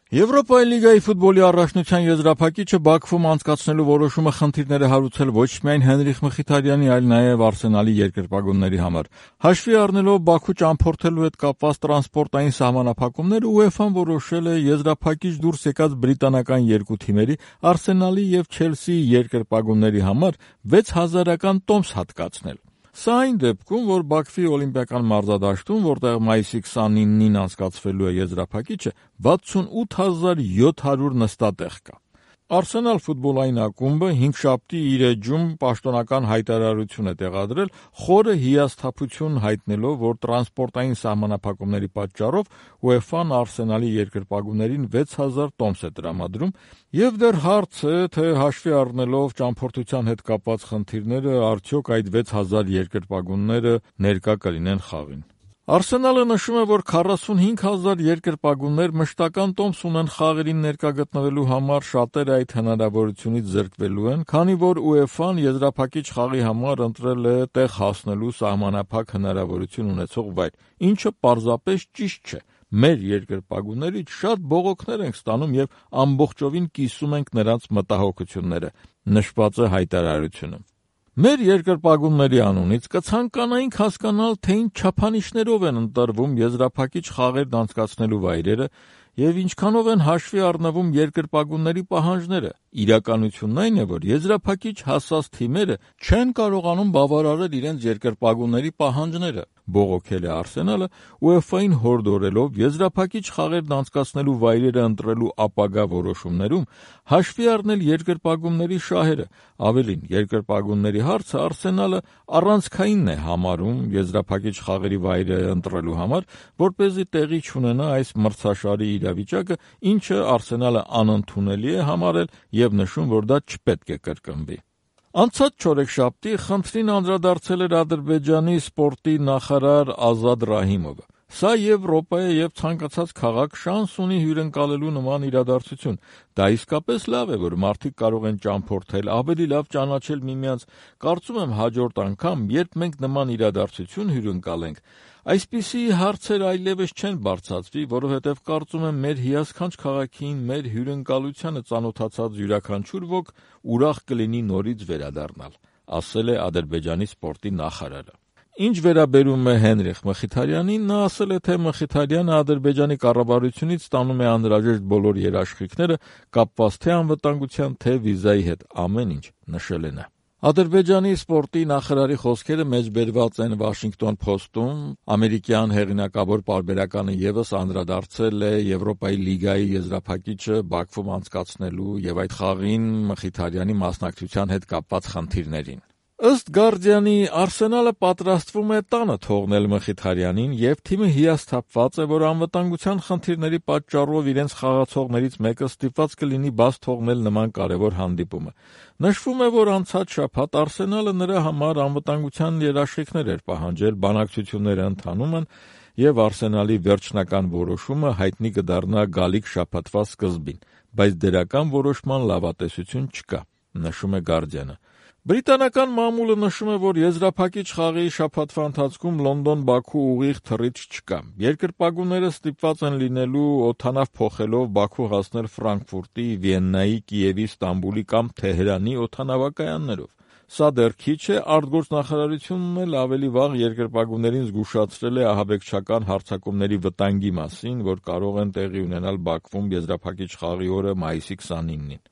Եվրոպայի լիգայի ֆուտբոլի առաջնության եզրափակիչը Բաքվում անցկացնելու որոշումը խնդիրներ է հարուցել ոչ միայն Հենրիխ Մխիթարյանի, այլ նաև Արսենալի երկրպագունների համար։ Հաշվի առնելով Բաքու ճամփորդելու հետ կապված տրանսպորտային սահմանափակումները, UEFA-ն որոշել է եզրափակիչ դուրս եկած բրիտանական երկու թիմերի՝ Արսենալի եւ Չելսիի երկրպագունների համար 6000-ական տոմս հատկացնել։ Սա այն դեպքում, որ Բաքվի օլիմպիական մարզադաշտում, որտեղ մայիսի 29-ին անցկացվելու է եզրափակիչը, 68700 նստատեղ կա։ Արսենալ ֆուտբոլային ակումբը հինգշաբթի իր էջում պաշտոնական հայտարարություն է տեղադրել, խորը հիասթափություն հայտնելով, որ տրանսպորտային սահմանափակումների պատճառով UEFA-ն Արսենալի երկրպագուներին 6000 տոմս է տրամադրում, եւ դեռ հարց է, թե հաշվի առնելով ճամփորդության հետ կապված խնդիրները, արդյոք այդ 6000 երկրպագունները ներկա կլինեն խաղին։ Արսենալը նշում է, որ 45000 երկրպագուններ մշտական տոմս ունեն խաղերին ներկա գտնվելու համար, շատերը այդ հնարավորությունից զրկվելու են, քանի որ UEFA-ն եզրափակիչ խաղի համար ընտրել է տեղ հասնելու սահմանափակ հնարավորություն ունեցող վայր, ինչը պարզապես ճիշտ չէ։ Մեր երկրպագուներից շատ բողոքներ ենք ստանում եւ ամբողջովին կիսում ենք նրանց մտահոգությունները, նշված է հայտարարությունում։ Մեր երկրպագունների անունից կցանկանայինք հասկանալ, թե ինչ չափանիշներով են ընտրվում եզրափակիչ խաղերն անցկացնելու վայրերը եւ ինչքանով են հաշվի առնվում երկրպագունների պահանջները։ Իրականությունն այն է, որ եզրափակիչ հասած թիմերը չեն կարողանում բավարարել իրենց երկրպագունների պահանջները, բողոքել է Արսենալը, UEFA-ին հորդորելով եզրափակիչ խաղերն անցկացնելու վայրերը ընտրելու ապագա որոշումներում հաշվի առնել երկրպագունների շահերը։ Ավելին, երկրպագունների հարցը Արսենալը առանցքայինն է համարում եզրափակիչ խաղերի վայրը ընտրելու համար, որպեսզի տեղի չունենա այս մրցաշարի իրավիճակը, ինչը Արսենալը անընդունելի է համարել եւ նշում, որ դա չպետք է կրկնվի։ Անցած չորեքշաբթի խնդրին անդրադարձել էր Ադրբեջանի սպորտի նախարար Ազադ Ռահիմովը։ Սա Եվրոպա է եւ ցանկացած քաղաք շանս ունի հյուրընկալելու նման իրադարձություն։ Դա իսկապես լավ է, որ մարդիկ կարող են ճամփորդել, ավելի լավ ճանաչել միմյանց։ Կարծում եմ հաջորդ անգամ, երբ մենք նման իրադարձություն հյուրընկալենք, այսպիսի հարցեր այլևս չեն բարձրացվի, որովհետև կարծում եմ մեր հիասքանչ քաղաքին, մեր հյուրընկալությանը ծանոթացած յուրաքանչյուր ոք ուրախ կլինի նորից վերադառնալ, ասել է Ադրբեջանի սպորտի նախարարը։ Ինչ վերաբերում է Հենրիխ Մխիթարյանին, նա ասել է, թե Մխիթարյանը Ադրբեջանի կառավարությունից ստանում է անհրաժեշտ բոլոր երաշխիքները կապված թե անվտանգության, թե վիզայի հետ, ամեն ինչ, նշել է նա։ Ադրբեջանի սպորտի նախարարի խոսքերը մեջբերված են Washington Post-ում, ամերիկյան հեղինակավոր պարբերականը ևս անդրադարձել է Եվրոպայի լիգայի եզրափակիչը Բաքվում անցկացնելու եւ այդ խաղին Մխիթարյանի մասնակցության հետ կապված խնդիրներին։ Ըստ Guardian-ի, Արսենալը պատրաստվում է տանը թողնել Մխիթարյանին եւ թիմը հիասթափված է, որ անվտանգության խնդիրների պատճառով իրենց խաղացողներից մեկը ստիպված կլինի բաց թողնել նման կարևոր հանդիպումը։ Նշվում է, որ անցած շաբաթ Արսենալը նրա համար անվտանգության երաշխիքներ էր պահանջել, բանակցությունները ընթանում են եւ Արսենալի վերջնական որոշումը հայտնի կդառնա գալիք շաբաթվա սկզբին, բայց դրական որոշման լավատեսություն չկա, նշում է Guardian-ը։ Բրիտանական մամուլը նշում է, որ եզրափակիչ խաղի շաբաթվա ընթացքում Լոնդոն-Բաքու ուղիղ թռիչք չկա։ Երկրպագուները ստիպված են լինելու օդանավ փոխելով Բաքու հասնել Ֆրանկֆուրտի, Վիեննայի, Կիևի, Ստամբուլի կամ Թեհրանի օդանավակայաններով։ Սա դեռ քիչ է, արտգործնախարարությունն էլ ավելի վաղ երկրպագուներին զգուշացրել է ահաբեկչական հարձակումների վտանգի մասին, որ կարող են տեղի ունենալ Բաքվում եզրափակիչ խաղի օրը մայիսի 29-ին։